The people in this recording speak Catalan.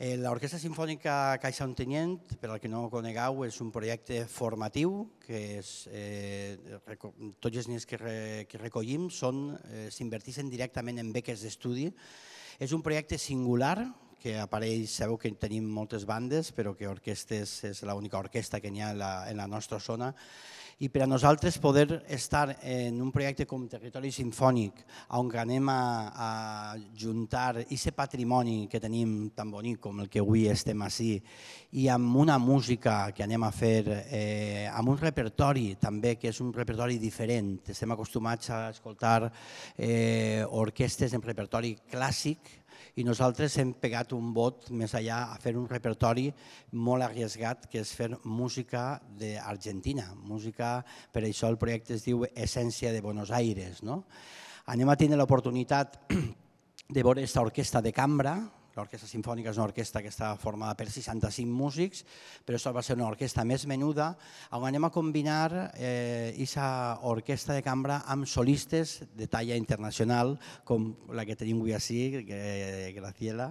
L'Orquestra Simfònica Caixa Ontinyent, per al que no ho conegueu, és un projecte formatiu que tots els diners que recollim s'inverteixen directament en beques d'estudi. És un projecte singular que apareix, sabeu que tenim moltes bandes, però que orquestes és l'única orquestra que n'hi ha en la nostra zona. I per a nosaltres poder estar en un projecte com Territori Simfònic, on anem a juntar aquest patrimoni que tenim tan bonic com el que avui estem així, i amb una música que anem a fer, amb un repertori també, que és un repertori diferent. Estem acostumats a escoltar orquestes en repertori clàssic, i nosaltres hem pegat un bot més allà a fer un repertori molt arriesgat, que és fer música d'Argentina. Per això el projecte es diu Essència de Buenos Aires. Anem a tenir l'oportunitat de veure aquesta orquestra de cambra. L'Orquestra Simfònica és una orquestra que està formada per 65 músics, però això va ser una orquestra més menuda, on anem a combinar aquesta orquestra de cambra amb solistes de talla internacional, com la que tenim avui així, Graciela,